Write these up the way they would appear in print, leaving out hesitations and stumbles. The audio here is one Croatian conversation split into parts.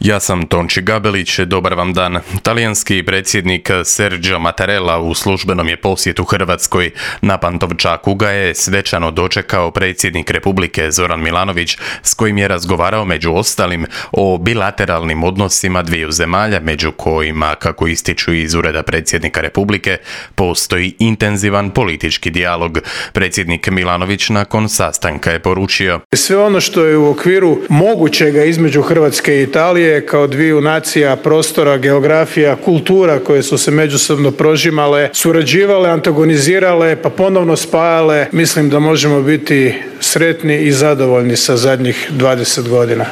Ja sam Tonči Gabelić, dobar vam dan. Talijanski predsjednik Sergio Mattarella u službenom je posjetu Hrvatskoj. Na Pantovčaku ga je svečano dočekao predsjednik Republike Zoran Milanović, s kojim je razgovarao među ostalim o bilateralnim odnosima dviju zemalja, među kojima, kako ističu iz Ureda predsjednika Republike, postoji intenzivan politički dijalog. Predsjednik Milanović nakon sastanka je poručio: sve ono što je u okviru mogućega između Hrvatske i Italije kao dviju nacija, prostora, geografija, kultura koje su se međusobno prožimale, surađivale, antagonizirale, pa ponovno spajale, mislim da možemo biti sretni i zadovoljni sa zadnjih 20 godina.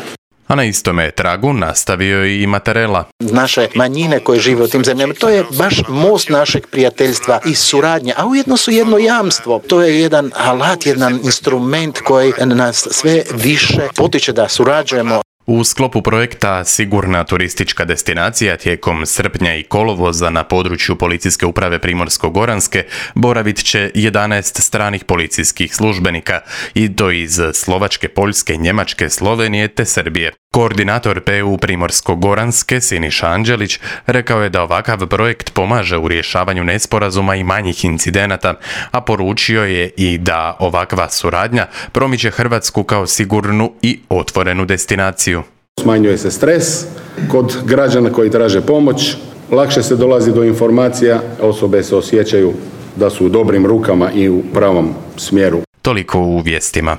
A na istome tragu nastavio i Mattarella. Naše manjine koje žive u tim zemljama, to je baš most našeg prijateljstva i suradnje, a ujedno su jedno jamstvo. To je jedan alat, jedan instrument koji nas sve više potiče da surađujemo. U sklopu projekta Sigurna turistička destinacija tijekom srpnja i kolovoza na području Policijske uprave Primorsko-goranske boravit će 11 stranih policijskih službenika i to iz Slovačke, Poljske, Njemačke, Slovenije te Srbije. Koordinator PU Primorsko-goranske Siniša Anđelić rekao je da ovakav projekt pomaže u rješavanju nesporazuma i manjih incidenata, a poručio je i da ovakva suradnja promiče Hrvatsku kao sigurnu i otvorenu destinaciju. Smanjuje se stres kod građana koji traže pomoć, lakše se dolazi do informacija, osobe se osjećaju da su u dobrim rukama i u pravom smjeru. Toliko u vijestima.